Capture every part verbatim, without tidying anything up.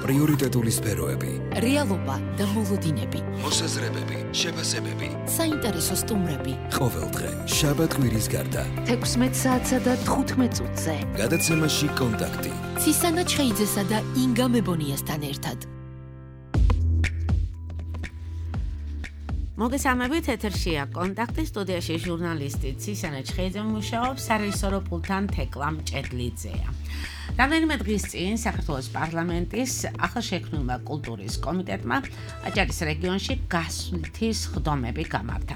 პრიორიტეტული სფეროები, რეალობა და მოლოდინები, მოსაზრებები, შეფასებები, საინტერესო სტუმრები. ყოველდღე შაბათ-კვირის გარდა თექვსმეტ საათსა და თხუთმეტ წუთზე. გადაცემაში კონტაქტი. ცისანა ჩხეიძესა და ინგა მებონიასთან ერთად. მოგესალმებით, ეთერშია კონტაქტი, სტუდიაში ჟურნალისტი ცისანა ჩხეიძე მუშაობს, სარეჟისორო პულტთან თეკლა მჭედლიძეა. რამდენიმე დღის წინ საქართველოს პარლამენტის ახალშექმნილმა კულტურის კომიტეტმა აჭარის რეგიონში გასვლითი სხდომები გამართა.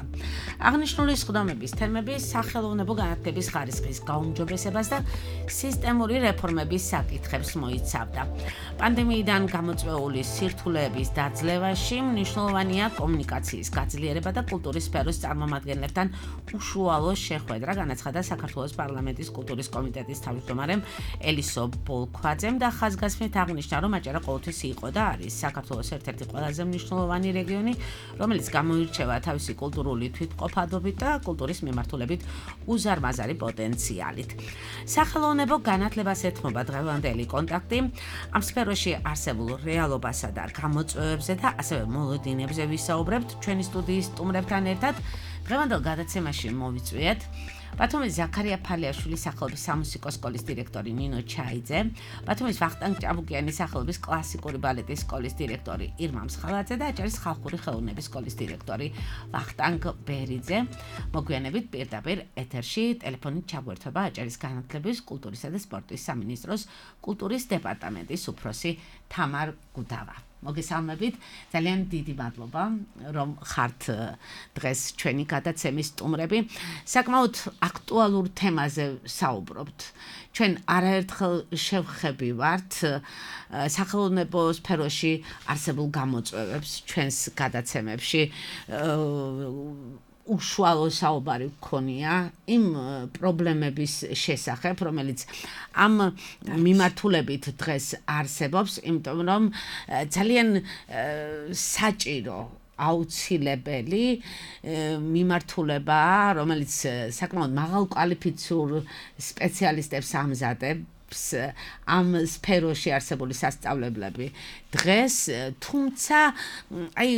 აღნიშნული სხდომების თემები სახელოვნებო განათლების ხარისხის გაუმჯობესებას და სისტემური რეფორმების საკითხებს მოიცავდა. პანდემიიდან გამოწვეული სირთულეების დაძლევაში მნიშვნელოვანია კომუნიკაციის გაძლიერება და კულტურის სფეროს წარმომადგენლებთან უშუალო შეხვედრა, განაცხადა საქართველოს პარლამენტის კულტურის კომიტეტის თავმჯდომარემ ელისო ბოლქვაძემ და ხაზგასმით აღნიშნა, რომ აჭარა ყოველთვის იყო და არის საქართველოს ერთ-ერთი ყველაზე მნიშვნელოვანი რეგიონი, რომელიც გამოირჩევა თავისი კულტურული თვითმყოფადობით და კულტურის მიმართულებით უზარმაზარი პოტენციალით. სახელოვნებო განათლებას ეთმობა დღევანდელი კონტაქტი, ამ სფეროში არსებულ რეალობასა და გამოწვევებზე და ასევე მოლოდინებზე ვისაუბრებთ ჩვენი სტუდიის სტუმრებთან ერთად. დღევანდელ გადაცემაში მოვიწვიეთ ბათუმის ზაქარია ფალიაშვილის სახელობის სამუსიკო სკოლის დირექტორი ნინო ჩაიძე, ბათუმის ვახტანგ ჭაბუკიანის სახელობის კლასიკური ბალეტის სკოლის დირექტორი ირმა მსხალაძე და აჭარის ხალხური ხელოვნების სკოლის დირექტორი ვახტანგ ბერიძე. მოგვიანებით პირდაპირ ეთერში ტელეფონით ჩაგვერთვება აჭარის განათლების, კულტურისა და სპორტის სამინისტროს კულტურის დეპარტამენტის უფროსი თამარ გუდავა. მოგესალმებით, ძალიან დიდი მადლობა, რომ ხართ დღეს ჩვენი გადაცემის სტუმრები. საკმაოდ აქტუალურ თემაზე საუბრობთ. ჩვენ არაერთხელ შევხვდებით სახელოვნებო სფეროში არსებულ გამოწვევებს ჩვენს გადაცემებში. უშუალო საუბარი გქონია იმ პრობლემების შესახებ, რომელიც ამ მიმართულებით დღეს არსებობს, იმიტომ რომ ძალიან საჭირო აუცილებელი მიმართულებაა, რომელიც საკმაოდ მაღალკვალიფიციურ სპეციალისტებს ამზადებს ამ სფეროში არსებული სასწავლებლები დღეს, თუმცა აი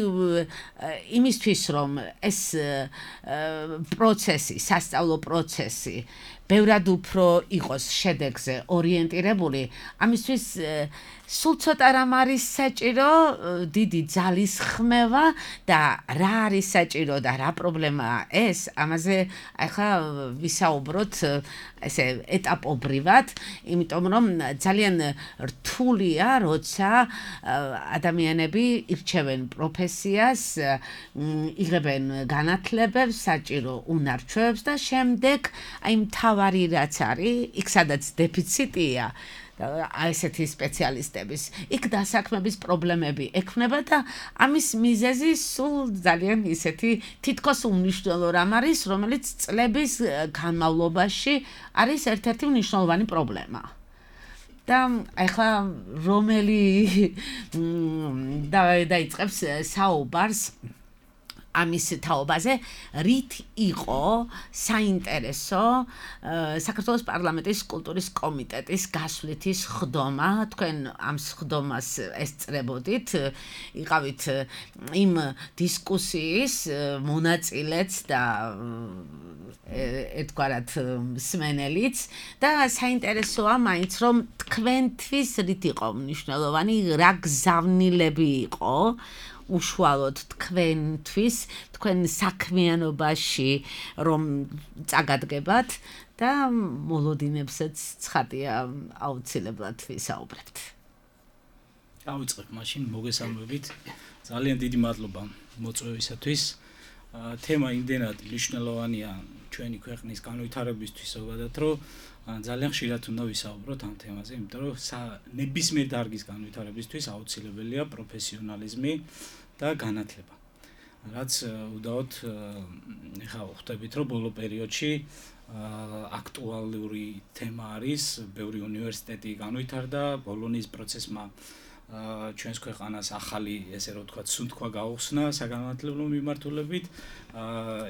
იმისთვის რომ ეს პროცესი, სასწავლო პროცესი ბევრად უფრო იყოს შედეგზე ორიენტირებული, ამისთვის სულ ცოტა რამ არის საჭირო, დიდი ძალის ხმევა და რა არის საჭირო და რა პრობლემაა ეს, ამაზე ახლა ვისაუბროთ ესე ეტაპობრივად, იმიტომ რომ ძალიან რთულია, როცა ადამიანები ირჩევენ პროფესიას, იღებენ განათლებებს, საჭირო უნარჩვევებს და შემდეგ აი მთავარი რაც არის, იქ სადაც დეფიციტია ესეთი სპეციალისტების, იქ დასაქმების პრობლემები ექმნება და ამის მიზეზი სულ ძალიან ისეთი თითქოს უმნიშვნელო რამ არის, რომელიც წლების განმავლობაში არის ერთ-ერთი მნიშვნელოვანი პრობლემა. და ახლა რომელი დაიწყებს საუბარს ამის თაობაზე, რით იყო საინტერესო საქართველოს პარლამენტის კულტურის კომიტეტის გასვლითი სხდომა, თქვენ ამ სხდომას ესწრებოდით, იყავით იმ დისკუსიის მონაწილეც და ერთგვარად მსმენელიც და საინტერესოა მაინც რომ თქვენთვის რით იყო მნიშვნელოვანი, რა გზავნილები იყო უშუალოდ თქვენთვის, თქვენ საქმიანობაში რომ წაგადგებათ და მოლოდინებსაც ცხადია აუცილებლად ვისაუბრებთ. დავიწყებ მაშინ, მოგესალმებით. ძალიან დიდი მადლობა მოწვევისათვის. თემა იმდენად მნიშვნელოვანია ჩვენი ქვეყნის განვითარებისთვის, ზოგადად რომ ძალიან ხშირად უნდა ვისაუბროთ ამ თემაზე, იმიტომ რომ ნებისმიერ დარგის განვითარებისთვის აუცილებელია პროფესიონალიზმი და განათლება. რაც უდაოდ ხა ხვდებით, რომ ბოლო პერიოდში აქტუალური თემა არის, ბევრი უნივერსიტეტი განვითარდა, ბოლონის პროცესმა ჩვენს ქვეყანას ახალი, ესე რომ ვთქვათ, სუნთქვა გაუხსნა საგანმანათლებლო მიმართულებით.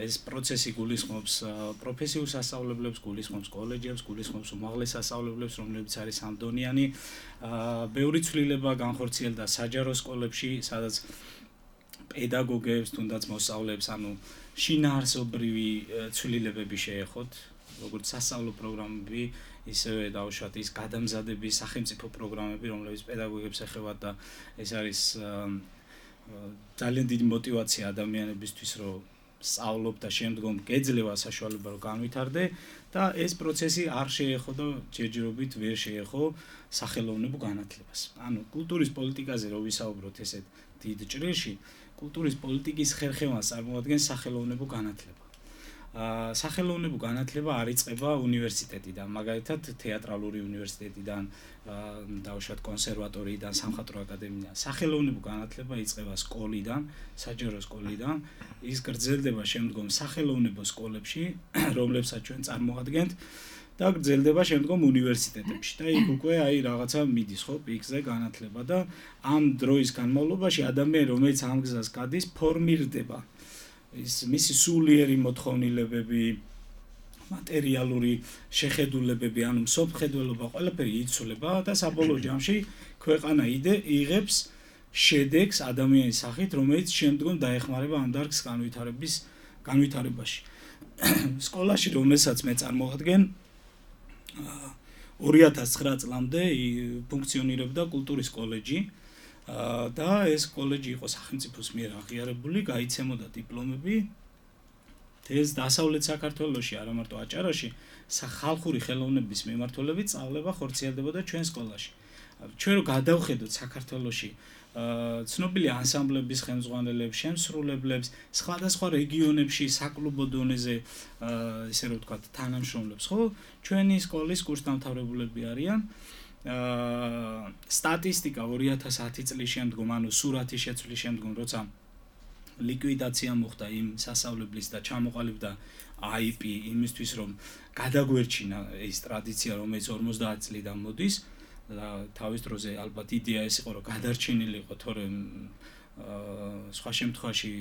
ეს პროცესი გულისხმობს პროფესიულ სასწავლებლებს, გულისხმობს კოლეჯებს, გულისხმობს უმაღლეს სასწავლებლებს, რომლებიც არის ამდონიანი. ბევრი ცვლილება განხორციელდა საჯარო სკოლებში, სადაც პედაგოგებს, თუნდაც მოსწავლეებს, ანუ შინაარსობრივი ცვლილებები შეეხოთ, როგორც სასწავლო პროგრამები, ისევე დაუშვათ ის გადამზადების სახელმწიფო პროგრამები, რომლებიც პედაგოგებს ეხებათ და ეს არის ძალიან დიდი мотиваცია ადამიანებისთვის, რომ სწავლობ და შემდგომ გეძლევა საშუალება რომ განვითარდე და ეს პროცესი არ შეეხო და ჯერჯერობით ვერ შეეხო სახელოვნებო განათლებას. ანუ კულტურის პოლიტიკაზე რო ვისაუბროთ ესეთ დიდ ჭრილში, კულტურის პოლიტიკის ხერხემას წარმოადგენს სახელოვნებო განათლება. სახელოვნებო განათლება არ იწყება უნივერსიტეტიდან, მაგალითად თეატრალური უნივერსიტეტიდან, დაუშვათ კონსერვატორიიდან, სამხატვრო აკადემიიდან. სახელოვნებო განათლება იწყება სკოლიდან, საჯარო სკოლიდან, ის გრძელდება შემდგომ სახელოვნებო სკოლებში, რომლებსაც ჩვენ წარმოადგენთ და გრძელდება შემდგომ უნივერსიტეტებში და იქ უკვე აი რაღაცა მიდის ხო პიკზე განათლება და ამ დროის განმავლობაში ადამიანი რომელიც ამ გზას გადის ფორმირდება ის მისი სულიერი მოთხოვნილებები, მატერიალური შეხედულებები, ანუ მსოფლმხედველობა ყველაფერი იცვლება და საბოლოო ჯამში ქვეყანა იღებს შედეგს ადამიანის სახით, რომელიც შემდგომ დაეხმარება ამ დარგს განვითარების განვითარებაში. სკოლაში რომელსაც მე წარმოვადგენ ორი ათას ცხრა წლამდე ფუნქციონირებდა კულტურის კოლეჯი. და ეს კოლეჯი იყო სახელმწიფოს მიერ აღიარებული, გაიცემოდა დიპლომები. ეს დასავლეთ საქართველოში, არა მარტო აჭარაში, ხალხური ხელოვნების მიმართულებით სწავლება ხორციელდებოდა ჩვენ სკოლაში. ჩვენ რო გადავხედოთ საქართველოში ცნობილი ანსამბლების ხელმძღვანელებს, შემსრულებლებს, სხვადასხვა რეგიონებში საკლუბო დონეზე, ესე რომ ვთქვათ, თანამშრომლებს, ხო? ჩვენი სკოლის კურსდამთავრებულები არიან. სტატისტიკა ორი ათას ათი წლის შემდგომ, ანუ სურათის შეცვლის შემდგომ, როცა ლიკვიდაცია მოხდა იმ სასწავლებლის და ჩამოყალიბდა აი პი იმისთვის, რომ გადაგვერჩინა ეს ტრადიცია, რომელიც ორმოცდაათი წლიდან მოდის და თავის დროზე ალბათ იდეა ეს იყო, რომ გადარჩენილი იყო, თორემ სხვა შემთხვევაში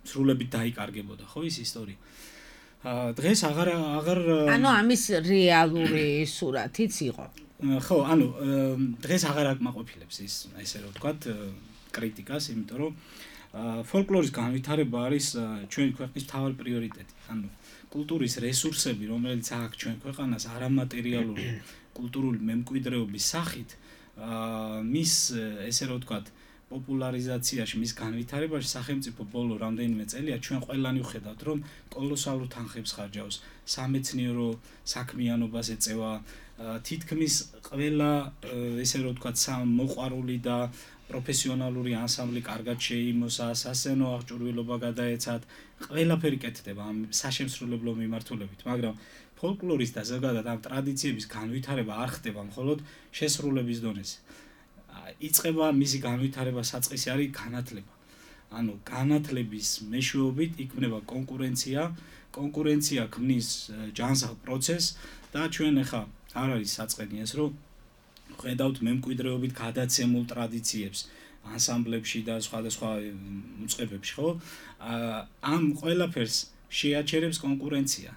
სრულებით დაიკარგებოდა, ხო ის ისტორია. დღეს აღარ აღარ ანუ ამის რეალური სურათიც იყო. ხო, ანუ დღეს აღარ აკმაყოფილებს ის, ესე რომ ვთქვათ, კრიტიკას, იმიტომ რომ ფოლკლორის განვითარება არის ჩვენი ქვეყნის მთავარი პრიორიტეტი. ანუ კულტურის რესურსები, რომელიც აქვს ჩვენ ქვეყანას არამატერიალური კულტურული მემკვიდრეობის სახით, მის ესე რომ ვთქვათ, პოპულარიზაციაში, მის განვითარებაში სახელმწიფო ბოლო რამდენიმე წელია ჩვენ ყველანი ვხედავთ, რომ კოლოსალურ თანხებს ხარჯავს, სამეცნიერო საქმიანობას ეწევა, თითქმის ყველა ესე რომ ვთქვათ, მოყვარული და პროფესიონალური ანსამბლი კარგად შეიმოსა, სასცენო აღჭურვილობა გადაეცათ, ყველაფერი კეთდება ამ საშემსრულებლო მიმართულებით, მაგრამ ფოლკლორის და ზოგადად ამ ტრადიციების განვითარება არ ხდება მხოლოდ შესრულების დონეზე. იწყება მისი განვითარება საწყისი არის განათლება. ანუ განათლების მეშვეობით იქმნება კონკურენცია, კონკურენცია ქმნის ჯანსაღ პროცესს და ჩვენ ახლა არ არის საწყენი ეს, რომ ხედავთ მემკვიდრეობით გადაცემულ ტრადიციებს ანსამბლებში და სხვადასხვა უწყებებში, ხო? ამ ყველაფერს შეაჩერებს კონკურენცია.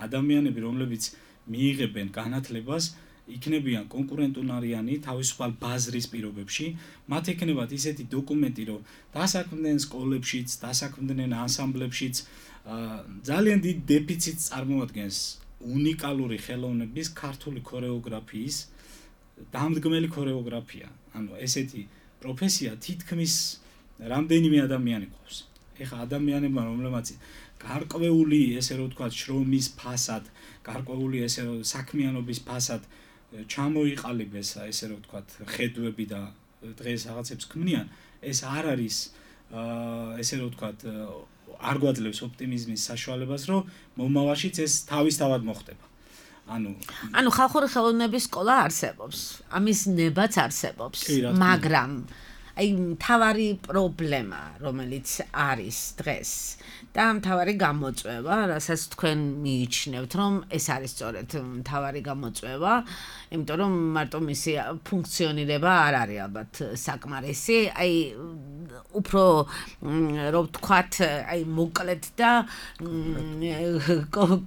ადამიანები, რომლებიც მიიღებენ განათლებას, იქნებიან კონკურენტუნარიანი თავისუფალ ბაზრის პირობებში, მათ ექნებათ ისეთი დოკუმენტი, რომ დასაქმდნენ სკოლებშიც, დასაქმდნენ ანსამბლებშიც, ძალიან დიდ დეფიციტს წარმოადგენს უნიკალური ხელოვნების ქართული ქორეოგრაფიის დამდგმელი ქორეოგრაფია. ანუ ესეთი პროფესია თითქმის რამდენიმე ადამიანი ყავს. ეხლა ადამიანებმა, რომლებმაც გარკვეული, ესე რომ ვთქვათ, შრომის ფასად, გარკვეული ესე რომ საქმიანობის ფასად ჩამოიყალიბეს, ესე რომ ვთქვათ, ხედვები და დღეს რაღაცებს ქმნიან, ეს არ არის ესე რომ ვთქვათ, არ გვაძლევს ოპტიმიზმის საშუალებას, რომ მომავალშიც ეს თავისთავად მოხდება. ანუ ანუ ხალხური ხელოვნების სკოლა არსებობს, ამის ნებაც არსებობს, მაგრამ აი მთავარი პრობლემა, რომელიც არის დღეს და მთავარი გამოწვევა, რასაც თქვენ მიიჩნევთ, რომ ეს არის სწორედ მთავარი გამოწვევა, იმიტომ რომ მარტო მისი ფუნქციონირება არ არის ალბათ საკმარისი, აი უფრო რო ვთქვათ, აი მოკლედ და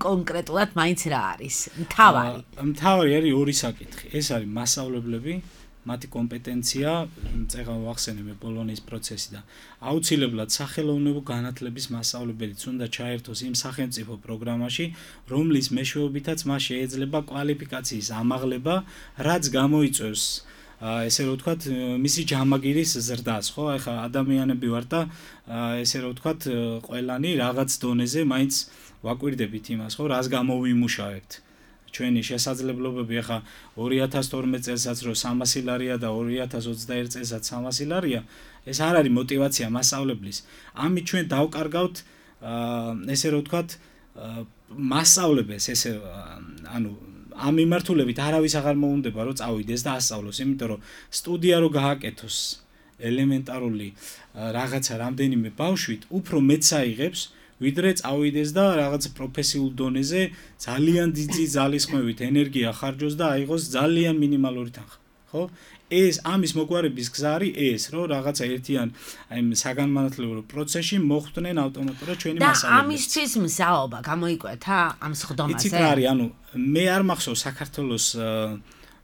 კონკრეტულად მაინც რა არის მთავარი? მთავარი არის ორი საკითხი. ეს არის მასწავლებლები, მათი კომპეტენცია, წეგან ვახსენე მე ბოლონიის პროცესი და აუცილებლად სახელოვნებო განათლების მასწავლებელიც უნდა ჩაერთოს იმ სახელმწიფო პროგრამაში, რომლის მეშვეობითაც მას შეიძლება კვალიფიკაციის ამაღლება, რაც გამოიწვევს ესე რომ ვთქვათ, მისი ჯამაგირის ზრდას, ხო? ეხლა ადამიანები ვარ და ესე რომ ვთქვათ, ყველანი რაღაც დონეზე მაინც ვაკვირდებით იმას, ხო, რას გამოვიმუშავებთ. ჩვენი შესაძლებლობები ახლა ორი ათას თორმეტ წელსაც რო სამასი ლარია და ორი ათას ოცდაერთი წელსაც სამასი ლარია, ეს არ არის мотиваცია მასწავლებლის. ამით ჩვენ დავკარგავთ ესე რომ ვთქვათ, მასწავლებელს, ესე ანუ ამ მიმართულებით არავის აღარ მოუნდება რომ წავიდეს და ასწავლოს, იმიტომ რომ სტუდია რო გააკეთოს ელემენტარული რაღაცა რამდენიმე ბავშვით, უფრო მეც აიღებს ვიდრე წავიდეს და რაღაც პროფესიულ დონეზე ძალიან დიდი ძალისხმევით ენერგია ხარჯოს და აიღოს ძალიან მინიმალური თანხა, ხო? ეს ამის მოგვარების გზა არის ეს, რომ რაღაცა ერთიან აი საგანმანათლებლო პროცესში მოხვდნენ ავტომატურად ჩვენი მასწავლებლები. და ამისთვის მზაობა გამოიკვეთა ამ სხდომაზე? იცით რა არის, ანუ მე არ მახსოვს საქართველოს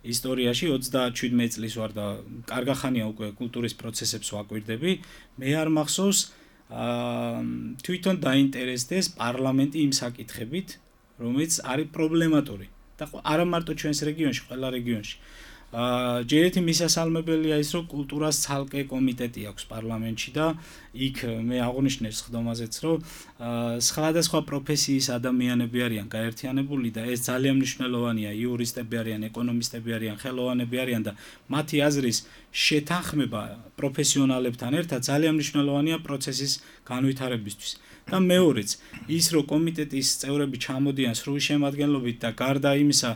ისტორიაში ოცდაშვიდმეტი წლის ვარ და კარგა ხანია უკვე კულტურის პროცესებს ვაკვირდები. მე არ მახსოვს თვითონ დაინტერესდეს პარლამენტი იმ საკითხებით, რომელიც არის პრობლემატური და არა მარტო ჩვენს რეგიონში, ყველა რეგიონში. ჯერ ერთი მისასალმებელია ის, რომ კულტურას ცალკე კომიტეტი აქვს პარლამენტში და იქ მე აღნიშნე სხდომაზეც, რომ სხვადასხვა პროფესიის ადამიანები არიან გაერთიანებული და ეს ძალიან მნიშვნელოვანია, იურისტები არიან, ეკონომისტები არიან, ხელოვანები არიან და მათი აზრის შეთანხმება პროფესიონალებთან ერთად ძალიან მნიშვნელოვანია პროცესის განვითარებისთვის. და მეორეც, ის რომ კომიტეტის წევრები ჩამოდიან სრული შემადგენლობით და გარდა იმისა,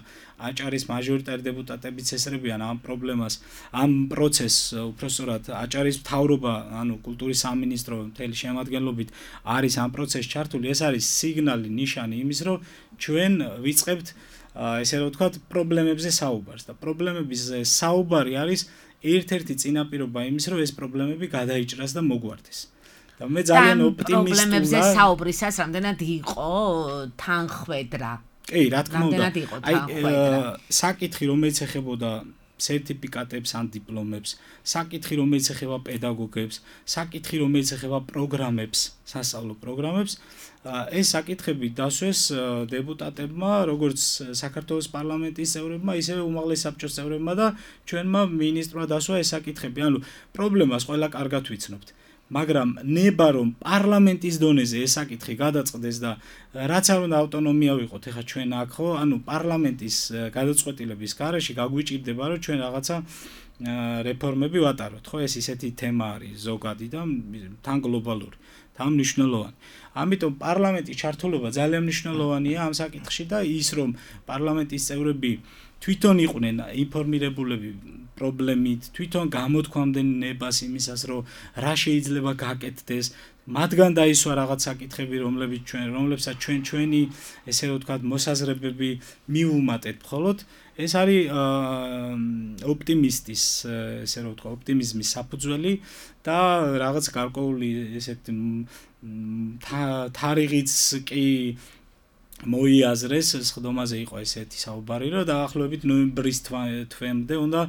აჭარის მაჟორიტარი დეპუტატებიც ესწრებიან ამ პრობლემას, ამ პროცესს, უпроსტად აჭარის მთავრობა, ანუ კულტურის სამინისტრო მთელი შემადგენლობით არის ამ პროცესში ჩართული, ეს არის სიგნალი, ნიშანი იმის, რომ ჩვენ ვიწყებთ ესე რომ ვთქვათ, პრობლემებზე საუბარს და პრობლემების საუბარი არის ერთ-ერთი წინაპირობა იმის, რომ ეს პრობლემები გადაიჭრას და მოგვარდეს. და მე ძალიან ოპტიმისტურია. პრობლემებზე საუბრისას რამდენად იყო თანხვედრა? კი, რა თქმა უნდა. აი, საკითხი, რომელიც ეხებოდა სერტიფიკატებს ან დიპლომებს, საკითხი, რომელიც ეხება პედაგოგებს, საკითხი, რომელიც ეხება პროგრამებს, სასწავლო პროგრამებს, ეს საკითხები დასვეს დეპუტატებმა, როგორც საქართველოს პარლამენტის წევრებმა, ისევე უმაღლეს საბჭოს წევრებმა და ჩვენმა მინისტრმა დასვა ეს საკითხები. ანუ პრობლემას ყველა კარგად ვიცნობთ. მაგრამ ნება რომ პარლამენტის დონეზე ეს საკითხი გადაწყდეს და რაც არ უნდა ავტონომია ვიყოთ ეხა ჩვენ აქ ხო ანუ პარლამენტის გადაწყვეტილების გარეშე გაგვიჭირდება რომ ჩვენ რაღაცა რეფორმები ვატაროთ ხო ეს ისეთი თემა არის ზოგადი და თან გლობალური თან მნიშვნელოვანი ამიტომ პარლამენტის ჩართულობა ძალიან მნიშვნელოვანია ამ საკითხში და ის რომ პარლამენტის წევრები თვითონ იყვნენ ინფორმირებულები პრობლემით, თვითონ გამოთქვამდნენ ნებას იმისას, რომ რა შეიძლება გაკეთდეს, მათგან დაისვა რაღაც საკითხები, რომლებიც ჩვენ, რომლებსაც ჩვენ ჩვენი, ესე რომ ვთქვათ, მოსაზრებები მივუმატეთ, მხოლოდ ეს არის ოპტიმისტის, ესე რომ ვთქვათ, ოპტიმიზმის საფუძველი და რაღაც გარკვეული ესეთ თარიღიც კი მოიაზრეს სხდომაზე იყო ესეთი საუბარი რომ დაახლოებით ნოემბრის თვემდე უნდა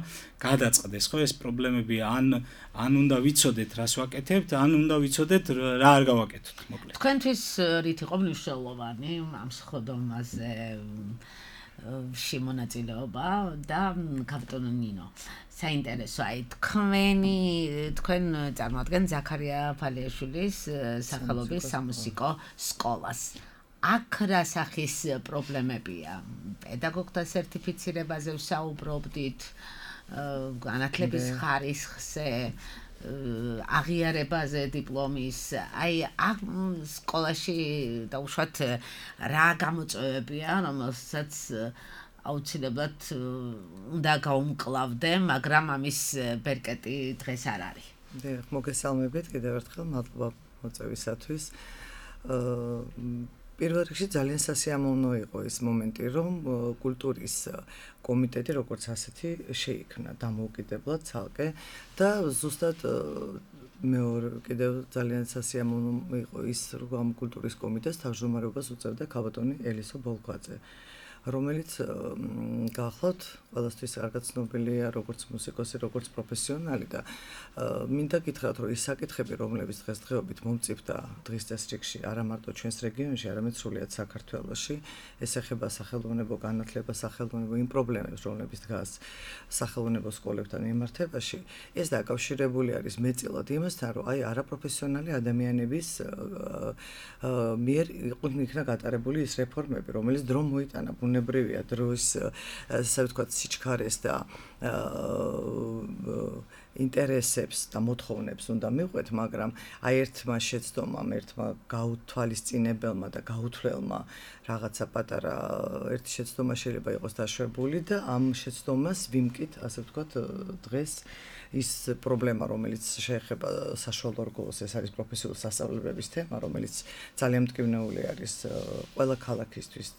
გადაწყდეს ხო ეს პრობლემები ან ან უნდა ვიცოდეთ რას ვაკეთებთ ან უნდა ვიცოდეთ რა არ გავაკეთოთ მოკლედ თქვენთვის რით იყო მნიშვნელოვანი ამ სხდომაზე შემონაწილეობა და კაპიტონ ნინო საინტერესო აი თქვენი თქვენ წარმოადგენთ ზაქარია ფალიაშვილის სახელობის სამუსიკო სკოლას აქ რა სახის პრობლემებია პედაგოგთა სერტიფიცირებაზე ვსაუბრობდით განათლების ხარისხზე აღიარებაზე დიპლომის აი აქ სკოლაში დაუშვათ რა გამოწვევებია რომელსაც აუცილებლად უნდა გაუმკლავდე მაგრამ ამის ბერკეტი დღეს არ არის დიახ, მოგესალმებით კიდევ ერთხელ, მადლობა მოწვევისათვის. პირველ რიგში ძალიან სასიამოვნო იყო ის მომენტი, რომ კულტურის კომიტეტი როგორც ასეთი შეიქმნა დამოუკიდებლად ცალკე და ზუსტად მეორე კიდევ ძალიან სასიამოვნო იყო ის, რომ კულტურის კომიტეტს თავმჯდომარეობას უწევდა ქალბატონი ელისო ბოლქვაძე, რომელიც გახლავთ ყველასთვის კარგად ცნობილია როგორც მუსიკოსი, როგორც პროფესიონალი და მინდა გითხრათ, რომ ის საკითხები, რომლებიც დღესდღეობით მომწიფდა დღის წესრიგში არა მარტო ჩვენს რეგიონში, არამედ სრულიად საქართველოში, ეს ეხება სახელმწიფო განათლებას, სახელმწიფო იმ პრობლემებს, რომლებიც დგას სახელმწიფო სკოლებთან მიმართებაში, ეს დაკავშირებული არის მეტწილად იმასთან, რომ აი არაპროფესიონალი ადამიანების მიერ იქნა გატარებული ის რეფორმები, რომელიც დრო მოიტანა ბუნებრივია დროის ასე ვთქვათ სიჩქარეს და ინტერესებს და მოთხოვნებს უნდა მივყვეთ, მაგრამ აი ერთმა შეცდომამ, ერთმა გაუთვალისწინებელმა და გაუთვლელმა რაღაცა პატარა ერთი შეცდომა შეიძლება იყოს დაშვებული და ამ შეცდომას ვიმკით, ასე ვთქვათ, დღეს ის პრობლემა, რომელიც შეეხება საშუალო რგოლს, ეს არის პროფესიული სასწავლებლების თემა, რომელიც ძალიან მტკივნეული არის ყველა ქალაქისთვის.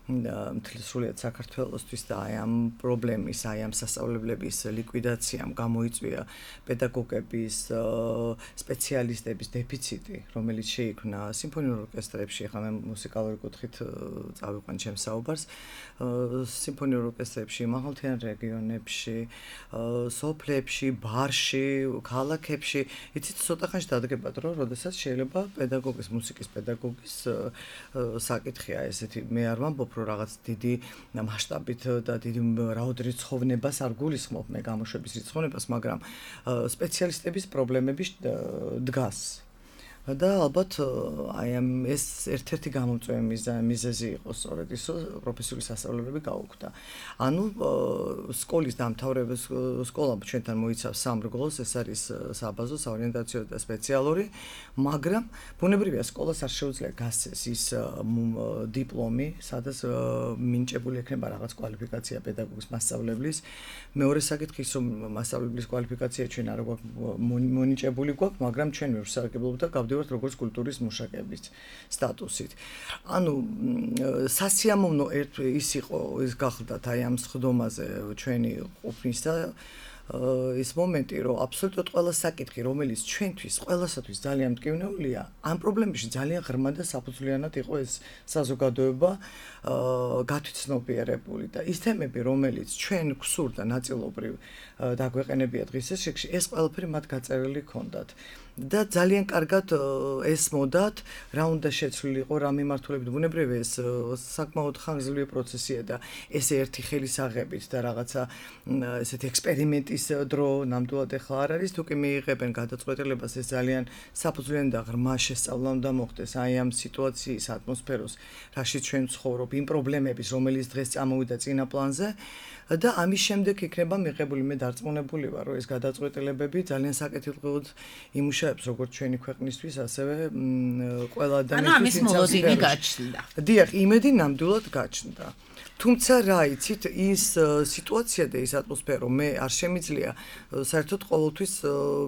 მთლის სრულიად საქართველოსთვის და აი ამ პრობლემის, აი ამ სასწავლებლების ლიკვიდაციამ გამოიწვია პედაგოგების, სპეციალისტების დეფიციტი, რომელიც შეიქმნა სიმფონიურ ორკესტრებში, ახლა მე მუსიკალური კუთხით წავიყვან ჩემს საუბარს, სიმფონიურ ორკესტრებში, მაღალმთიან რეგიონებში, სოფლებში, ბარში, ქალაქებში, იცით, ცოტა ხანში დადგებათ, რომ როდესაც შეიძლება პედაგოგის, მუსიკის პედაგოგის საკითხია ესეთი, მე არ ვამბობ რომ რაღაც დიდი მასშტაბით და დიდი რაოდენობით რიცხოვნებას არ გულისხმობ მე გამოშვების რიცხოვნებას, მაგრამ სპეციალისტების პრობლემები დგას. და ალბათ აი ამ ეს ერთ-ერთი გამომწვევი მიზეზი იყო სწორედ ის, რომ პროფესიული სასწავლებლები გაუქმდა. ანუ სკოლის დამთავრების სკოლა ჩვენთან მოიცავს სამ რგოლს, ეს არის საბაზო, საორიენტაციო და სპეციალური, მაგრამ ბუნებრივია სკოლას არ შეუძლია გასცეს ის დიპლომი, სადაც მინიჭებული ექნება რაღაც კვალიფიკაცია პედაგოგის მასწავლებლის. მეორე საკითხი ის, რომ მასწავლებლის კვალიფიკაცია ჩვენ არ გვაქვს მონიჭებული გვაქვს, მაგრამ ჩვენ ვსარგებლობთ და როგორც კულტურის მუშაკების სტატუსით. ანუ სასიამოვნო ერთ ის იყო, ის გახლდათ აი ამ სხდომაზე ჩვენი ყოფნის და ის მომენტი, რომ აბსოლუტურად ყველა საკითხი, რომელიც ჩვენთვის, ყველასათვის ძალიან მტკივნეულია, ამ პრობლემებში ძალიან ღრმა და საფუძვლიანად იყო ეს საზოგადოება გათვითცნობიერებული და ის თემები, რომელიც ჩვენ გვსურდა ნაწილობრივ დაგვეყენებია დღის წესრიგში, ეს ყველაფერი მათ გაწერილი ჰქონდათ. და ძალიან კარგად ესმოდათ, რა უნდა შეცვლილიყო, რა მიმართულებით ბუნებრივია ეს საკმაოდ ხანგრძლივი პროცესია და ეს ერთი ხელისაღებით და რაღაცა ესეთი ექსპერიმენტის დრო ნამდვილად ახლა არ არის, თუ კი მიიღებენ გადაწყვეტილებას, ეს ძალიან საფუძვლიანი და ღრმა შესწავლა უნდა მოხდეს აი ამ სიტუაციის ატმოსფეროს, რაშიც ჩვენ ვცხოვრობ, იმ პრობლემების, რომელიც დღეს წამოვიდა წინა პლანზე და ამის შემდეგ იქნება მიღებული, მე დარწმუნებული ვარ, რომ ეს გადაწყვეტილებები ძალიან საკეთილდღეოდ იმუშავებს როგორც ჩვენი ქვეყნისთვის, ასევე ყველა ადამიანის. ანუ ამის მოლოდინი გაჩნდა. დიახ, იმედი ნამდვილად გაჩნდა. თუმცა რა იცით, ის სიტუაცია და ის ატმოსფერო, მე არ შემიძლია საერთოდ ყოველთვის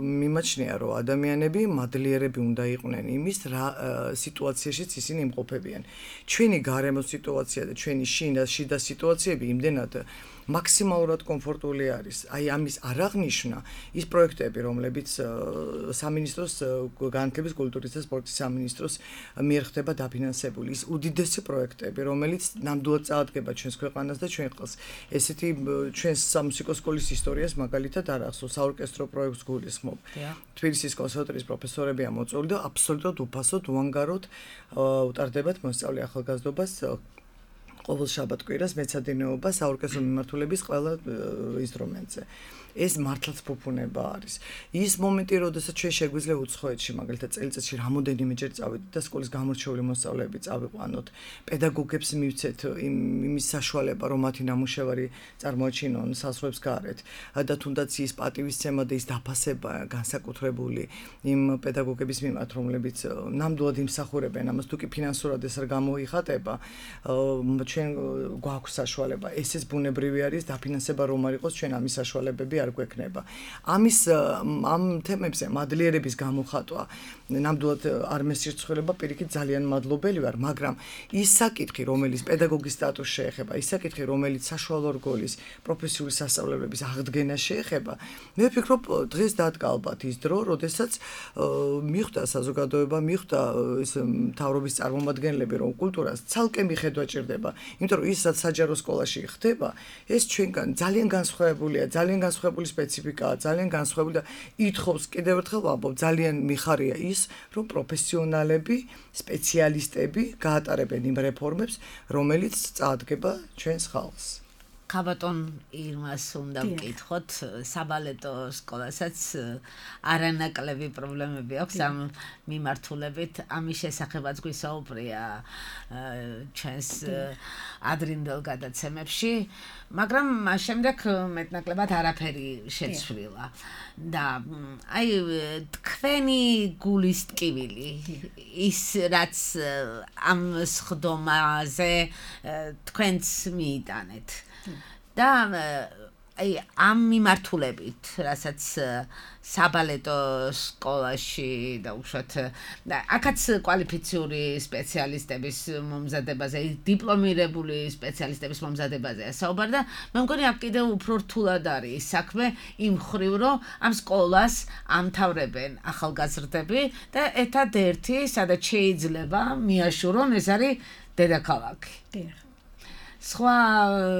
მიმაჩნია, რომ ადამიანები მადლიერები უნდა იყვნენ იმის რა სიტუაციაშიც ისინი იმყოფებიან. ჩვენი გარემო სიტუაცია და ჩვენი შიდა სიტუაციები იმდენად მაქსიმალურად კომფორტული არის. აი ამის არ აღნიშნა ის პროექტები, რომლებიც სამინისტროს განათლების, კულტურის და სპორტის სამინისტროს მიერ ხდება დაფინანსებული. ის უდიდესი პროექტები, რომელიც ნამდვილად წაადგება ჩვენს ქვეყანას და ჩვენ ყელს. ესეთი ჩვენს სამუსიკო სკოლის ისტორიას მაგალითად არ ახსოვს, საორკესტრო პროექტს გულისხმობ. თბილისის კონსერვატორიის პროფესორებია მოწვეული და აბსოლუტურად უფასოდ, უანგაროდ უტარდებათ მოსწავლე ახალგაზრდობას ყოველ შაბათ-კვირას მეცადინეობა საორკესტრო მიმართულების ყველა ინსტრუმენტზე. ეს მართლაც ფუფუნება არის. ის მომენტი, როდესაც ჩვენ შეგვიძლია უცხოეთში, მაგალითად წელიწადში რამოდენიმეჯერ წავიდეთ და სკოლის გამორჩეული მოსწავლეები წავიყვანოთ, პედაგოგებს მივცეთ იმის საშუალება, რომ მათი ნამუშევარი წარმოაჩინონ საზღვრებს გარეთ და თუნდაც ის პატივისცემა და ის დაფასება განსაკუთრებული იმ პედაგოგების მიმართ, რომლებიც ნამდვილად იმსახურებენ ამას, თუ კი ფინანსურად ეს არ გამოიხატება, ჩვენ გვაქვს საშუალება, ესეც ბუნებრივი არის, დაფინანსება რომ არ იყოს, ჩვენ ამის საშუალებები არ გვექნება. ამის ამ თემებზე მადლიერების გამოხატვა ნამდვილად არ მესირცხვილება, პირიქით ძალიან მადლობელი ვარ, მაგრამ ის საკითხი, რომელიც პედაგოგის სტატუსს შეეხება, ის საკითხი, რომელიც საშუალო რგოლის პროფესიული სასწავლებლების აღდგენა შეეხება, მე ვფიქრობ, დღეს დადგა ალბათ ის დრო, როდესაც მიხვდა საზოგადოება, მიხვდა ეს მთავრობის წარმომადგენლები, რომ კულტურას ცალკე მიხედვა ჭირდება, იმიტომ რომ ისაც საჯარო სკოლაში ხდება, ეს ჩვენგან ძალიან განსხვავებულია, ძალიან განსხვავებული სპეციფიკაა, ძალიან განსხვავებული და ითხოვს კიდევ ერთხელ ვამბობ, ძალიან მიხარია ის, რომ პროფესიონალები, სპეციალისტები გაატარებენ იმ რეფორმებს, რომელიც წაადგება ჩვენს ხალხს. ხაბატონ ირმას უნდა ვკითხოთ, საბალეტო სკოლასაც არანაკლები პრობლემები აქვს ამ მიმართულებით, ამის შესახებაც გვისაუბრია ჩვენს ადრინდელ გადაცემებში, მაგრამ მას შემდეგ მეტნაკლებად არაფერი შეცვლილა და აი თქვენი გულის ტკივილი ის რაც ამ სხდომაზე თქვენც მიიტანეთ და აი ამ მიმართულებით, რასაც საბალეტო სკოლაში და უშუალოდ აქაც კვალიფიციური სპეციალისტების მომზადებაზე, დიპლომირებული სპეციალისტების მომზადებაზეა საუბარი და მე მგონი აქ კიდევ უფრო რთულად არის საქმე იმ ხრივ, რომ ამ სკოლას ამთავრებენ ახალგაზრდები და ერთადერთი, სადაც შეიძლება მიაშურონ, ეს არის დედაქალაქი. დიახ. სხვა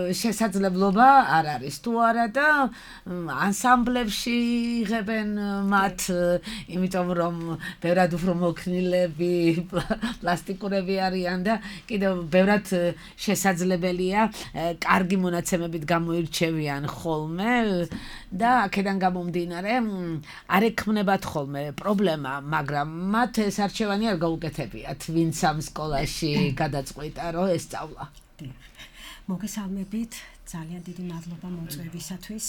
შესაძლებლობა არ არის თუ არა და ანსამბლებში იღებენ მათ, იმიტომ რომ ბევრად უფრო მოქნილები, პლასტიკურები არიან და კიდევ ბევრად შესაძლებელია კარგი მონაცემებით გამოირჩევიან ხოლმე და აქედან გამომდინარე არ ექმნებათ ხოლმე პრობლემა, მაგრამ მათ ეს არჩევანი არ გაუკეთებიათ, ვინც ამ სკოლაში გადაწყვიტა, რომ ესწავლა. მოგესალმებით, ძალიან დიდი მადლობა მოწვევისათვის.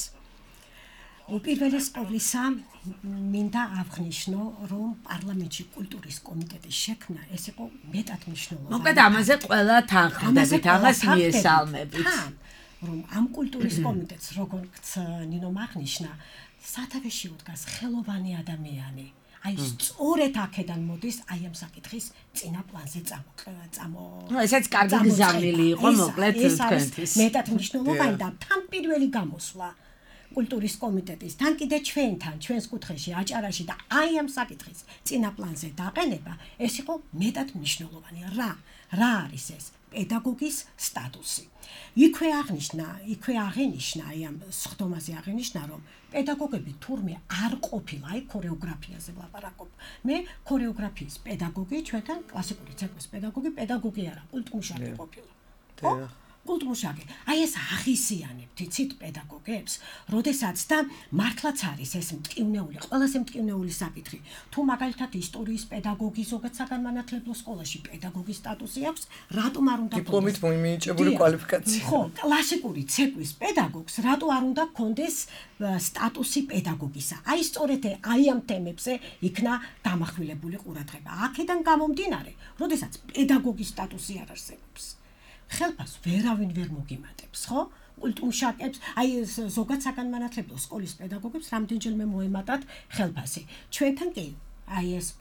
უპირველეს ყოვლისა, მინდა აღვნიშნო, რომ პარლამენტში კულტურის კომიტეტის შექმნა ეს იყო მეტად მნიშვნელოვანი. მოკლედ ამაზე ყველა თანხმდებით, ამას მიესალმებით. რომ ამ კულტურის კომიტეტს, როგორც ნინომ აღნიშნა, სათავეში უდგას ხელოვანი ადამიანი. აი სწორედ აქედან მოდის აი ამ საკითხის წინა პლანზე წამო. ნუ ესაც კარგი გზავნილი იყო მოკლედ თქვენთვის. მეტად მნიშვნელოვანი და თან პირველი გამოსვლა კულტურის კომიტეტის, თან კიდე ჩვენთან, ჩვენს კუთხეში, აჭარაში და აი ამ საკითხის წინა პლანზე დაყენება, ეს იყო მეტად მნიშვნელოვანი. რა? რა არის ეს? პედაგოგის სტატუსი. იქვე აღნიშნა, იქვე აღენიშნა, აი ამ სხდომაზე აღენიშნა, რომ პედაგოგები თურმე არ ყოფილა, აი ქორეოგრაფიაზე ვლაპარაკობ. მე ქორეოგრაფიის პედაგოგი, ჩვენთან კლასიკური ცეკვის პედაგოგი, პედაგოგი არა, კულტმუშაკი ყოფილა. ხო? კულტმუშაკი. აი ეს აღისიანებთ, იცით პედაგოგებს, როდესაც და მართლაც არის ეს მტკივნეული, ყველაზე მტკივნეული საკითხი. თუ მაგალითად ისტორიის პედაგოგი ზოგადად საგანმანათლებლო სკოლაში პედაგოგის სტატუსი აქვს, რატომ არ უნდა დიპლომით მიენიჭებული კვალიფიკაცია. ხო, კლასიკური ცეკვის პედაგოგს რატო არ უნდა ჰქონდეს სტატუსი პედაგოგისა? აი სწორედ აი ამ თემებზე იქნა დამახვილებული ყურადღება. აქედან გამომდინარე, როდესაც პედაგოგის სტატუსი არ არსებობს. ხელფას ვერავინ ვერ მოგიმატებს, ხო? კულტმუშაკებს, აი ზოგადად საგანმანათლებლო სკოლის პედაგოგებს რამდენჯერმე მოემატათ ხელფასი. ჩვენთან კი აი ეს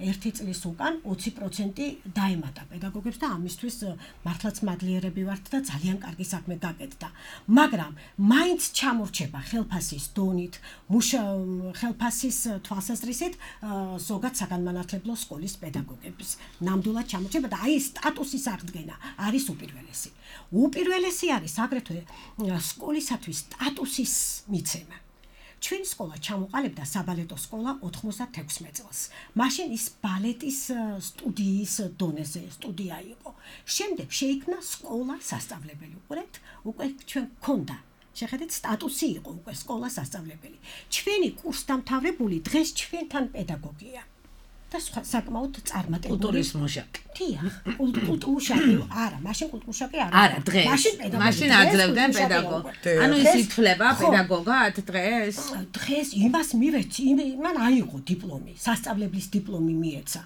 ერთი წლის უკან ოცი პროცენტი დაემატა პედაგოგებს და ამისთვის მართლაც მადლიერები ვართ და ძალიან კარგი საქმე გაკეთდა. მაგრამ მაინც ჩამორჩება ხელფასის დონით, ხელფასის თვალსაზრისით ზოგადად საგანმანათლებლო სკოლის პედაგოგების ნამდვილად ჩამორჩება და აი სტატუსის აღდგენა არის უპირველესი. უპირველესი არის აგრეთვე სკოლისათვის სტატუსის მიცემა. ჩვენი სკოლა ჩამოყალიბდა საბალეტო სკოლა ოთხმოცდათექვსმეტ წელს. მაშინ ის ბალეტის სტუდიის დონეზე სტუდია იყო. შემდეგ შეიქმნა სკოლა სასწავლებელი. უყურეთ, უკვე ჩვენ გქონდა. შეხედეთ, სტატუსი იყო უკვე სკოლა სასწავლებელი. ჩვენი კურსდამთავრებული დღეს ჩვენთან პედაგოგია. და საკმაოდ წარმატებული კულტურის მუშაკი. დიახ, კულტმუშაკი არა, მაშინ კულტმუშაკი არა. არა, დღეს. მაშინ აძლევდნენ პედაგოგი. ანუ ის ითვლება პედაგოგად დღეს? დღეს იმას მივეცი, მან აიღო დიპლომი, სასწავლებლის დიპლომი მიეცა.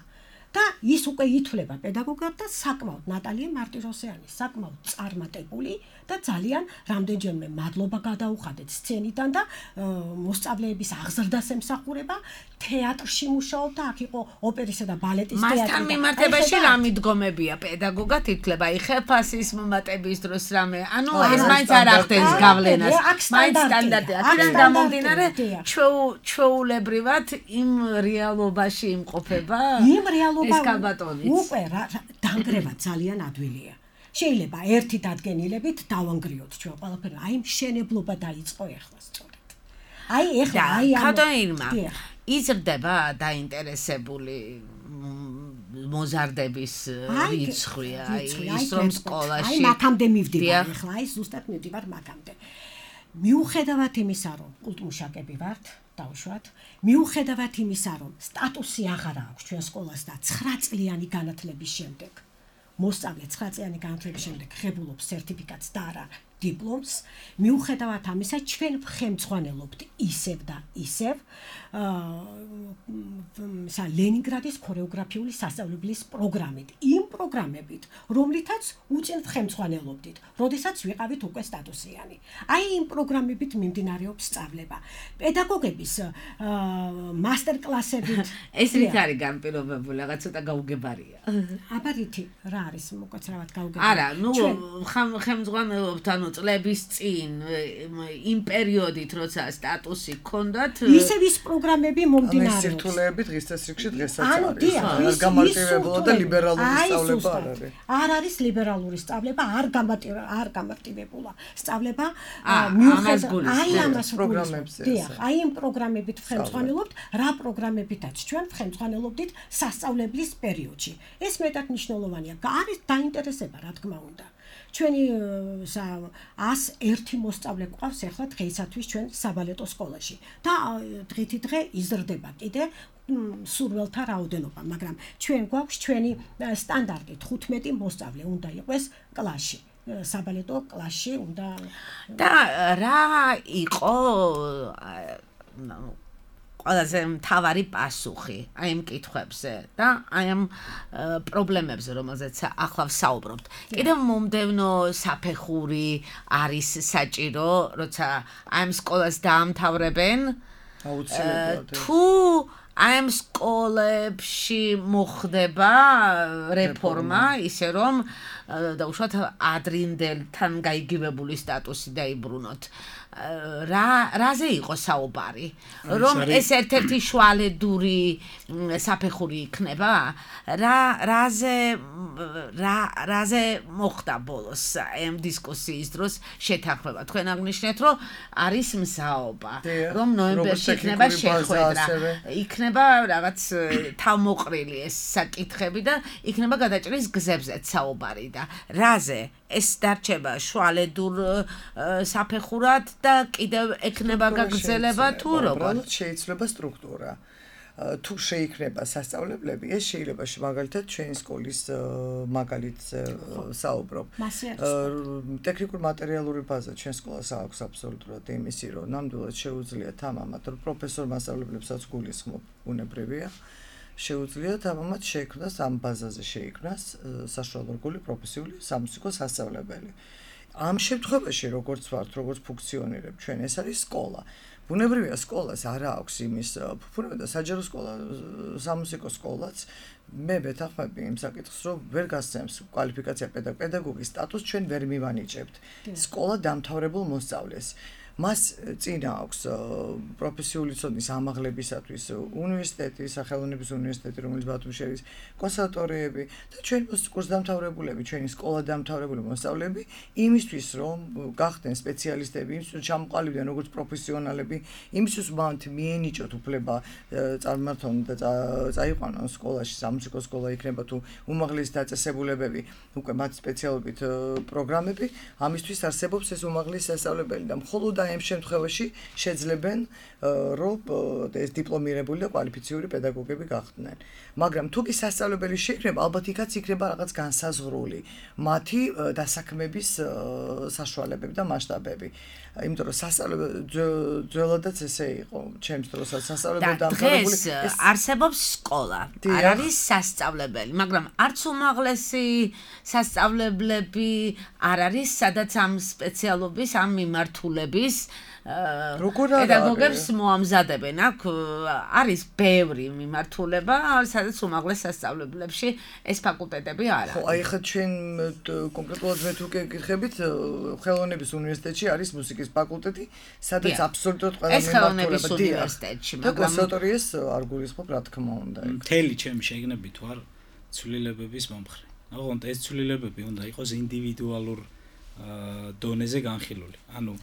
და ის უკვე ითვლება პედაგოგად და საკმაოდ ნატალია მარტიროსიანი, საკმაოდ წარმატებული და ძალიან რამდენჯერმე მადლობა გადაუხადეთ სცენიდან და მოსწავლეების აღზრდას ემსახურება, თეატრში მუშაობდა, აქ იყო ოპერისა და ბალეტის თეატრი. მასთან მიმართებაში რა მიდგომებია პედაგოგად ითვლება, აი ხეფასის მომატების დროს რამე, ანუ ეს მაინც არ ახდენს გავლენას, მაინც სტანდარტია. აქედან გამომდინარე ჩვეულებრივად იმ რეალობაში იმყოფება იმ რეალობა ეს კაბატონიც. უკვე დანგრევა ძალიან ადვილია. შეიძლება ერთი დადგენილებით დავანგრიოთ ჩვენ ყველაფერი, აი მშენებლობა დაიწყო ეხლა სწორედ. აი ეხლა აი ამ ქადოინმა იზრდება დაინტერესებული მოზარდების რიცხვი, აი ის რომ სკოლაში აი მაქამდე მივდივარ ეხლა, აი ზუსტად მივდივარ მაქამდე. მიუხედავად იმისა, რომ კულტმუშაკები ვართ, დავუშვათ, მიუხედავად იმისა, რომ სტატუსი აღარ აქვს ჩვენ სკოლას და ცხრა წლიანი განათლების შემდეგ მოსწავლე ცხრა წლიანი განათლების შემდეგ ღებულობს სერტიფიკატს და არა დიპლომს, მიუხედავად ამისა, ჩვენ ვხემძღვანელობთ ისევ და ისევ აა ლენინგრადის ქორეოგრაფიული სასწავლებლის პროგრამით, იმ პროგრამებით, რომლითაც უწინ ვხემძღვანელობდით, როდესაც ვიყავით უკვე სტატუსიანი. აი იმ პროგრამებით მიმდინარეობს სწავლება. პედაგოგების მასტერკლასებით ეს რით არის განპირობებული, რაღაც ცოტა გაუგებარია. აბა რითი, რა არის მოკაცრავად გაუგებარი? არა, ნუ ხემძღვანელობთ, ანუ წლების წინ იმ პერიოდით, როცა სტატუსი გქონდათ, ისევ ის პროგრამები მომდინარეობს. ანუ სირთულეები დღის წესრიგში დღესაც არის. არ გამარტივებულა და ლიბერალური სწავლება არ არის. არ არის ლიბერალური სწავლება, არ გამარტივება, არ გამარტივებულა. სწავლება მიუხედავად აი ამას პროგრამებზე. დიახ, აი იმ პროგრამებით ვხემძღვანელობთ, რა პროგრამებითაც ჩვენ ვხემძღვანელობდით სასწავლებლის პერიოდში. ეს მეტად მნიშვნელოვანია. არის დაინტერესება, რა თქმა უნდა. ჩვენი ას ერთი მოსწავლე გვყავს ახლა დღეისათვის ჩვენ საბალეტო სკოლაში და დღითი დღე იზრდება კიდე სურველთა რაოდენობა, მაგრამ ჩვენ გვაქვს ჩვენი სტანდარტი თხუთმეტი მოსწავლე უნდა იყოს კლასში. საბალეტო კლასში უნდა და რა იყო ყველაზე მთავარი პასუხი აი ამ კითხვებზე და აი ამ პრობლემებზე, რომელზეც ახლა ვსაუბრობთ. კიდევ მომდევნო საფეხური არის საჭირო, როცა აი ამ სკოლას დაამთავრებენ, აუცილებლად. თუ აი ამ სკოლებში მოხდება რეფორმა, ისე რომ დაუშვათ ადრინდელთან გაიგივებული სტატუსი დაიბრუნოთ. რა რაზე იყო საუბარი, რომ ეს ერთ-ერთი შუალედური საფეხური იქნება, რა რაზე რა რაზე მოხდა ბოლოს ამ დისკუსიის დროს შეთანხმება. თქვენ აღნიშნეთ, რომ არის მსაობა, რომ ნოემბერში იქნება შეხვედრა, იქნება რაღაც თავმოყრილი ეს საკითხები და იქნება გადაჭრის გზებზეც საუბარი და რაზე ეს დარჩება შუალედურ საფეხურად და კიდევ ექნება გაგრძელება თუ როგორ? უბრალოდ შეიძლება სტრუქტურა. თუ შეიქმნება სასწავლებლები, ეს შეიძლება მაგალითად ჩვენი სკოლის მაგალითს საუბრობ. ტექნიკურ მატერიალური ბაზა ჩვენ სკოლას აქვს აბსოლუტურად იმისი, რომ ნამდვილად შეუძლიათ ამამად, რომ პროფესორ მასწავლებლებსაც გულისხმობ, უნებრივია. შეუძლიათ ამამად შეიქმნას ამ ბაზაზე შეიქმნას საშუალო რგოლი პროფესიული სამუსიკო სასწავლებელი. ამ შემთხვევაში როგორც ვართ, როგორც ფუნქციონირებ ჩვენ, ეს არის სკოლა. ბუნებრივია სკოლას არა აქვს იმის ფუფუნება და საჯარო სკოლა, სამუსიკო სკოლაც მე ვეთანხმები იმ საკითხს, რომ ვერ გასცემს კვალიფიკაცია პედაგოგის სტატუსს ჩვენ ვერ მივანიჭებთ. სკოლა დამთავრებულ მოსწავლეს. მას წინა აქვს პროფესიული ცოდნის ამაღლებისათვის უნივერსიტეტი, სახელოვნების უნივერსიტეტი, რომელიც ბათუმში არის, კონსერვატორიები და ჩვენი კურსდამთავრებულები, ჩვენი სკოლადამთავრებული მოსწავლეები იმისთვის, რომ გახდნენ სპეციალისტები, იმისთვის ჩამოყალიბდნენ როგორც პროფესიონალები, იმისთვის მათ მიენიჭოთ უფლება წარმართონ და წაიყვანონ სკოლაში, სამუსიკო სკოლა იქნება თუ უმაღლესი დაწესებულებები, უკვე მათ სპეციალობით პროგრამები, ამისთვის არსებობს ეს უმაღლესი სასწავლებელი და მხოლოდ და ამ შემთხვევაში შეძლებენ რომ ეს დიპლომირებული და კვალიფიციური პედაგოგები გახდნენ. მაგრამ თუ კი სასწავლებელი შეიქმნება, ალბათ იქაც იქნება რაღაც განსაზღვრული მათი დასაქმების საშუალებები და მასშტაბები. იმიტომ რომ სასწავლებელი ძველადაც ესე იყო, ჩემს დროსაც სასწავლებელი დამთავრებული ეს არსებობს სკოლა. არ არის სასწავლებელი, მაგრამ არც უმაღლესი სასწავლებლები არ არის, სადაც ამ სპეციალობის, ამ მიმართულების პედაგოგებს მოამზადებენ. აქ არის ბევრი მიმართულება, სადაც უმაღლეს სასწავლებლებში ეს ფაკულტეტები არ არის. ხო, აი ხა ჩვენ კონკრეტულად მე თუ გეკითხებით, ხელოვნების უნივერსიტეტში არის მუსიკის ფაკულტეტი, სადაც აბსოლუტურად ყველა ეს ხელოვნების უნივერსიტეტში, მაგრამ კონსერვატორიას არ გულისხმობ, რა თქმა უნდა. მთელი ჩემი შეგნებით ვარ ცვლილებების მომხრე. ოღონდ ეს ცვლილებები უნდა იყოს ინდივიდუალურ დონეზე განხილული. ანუ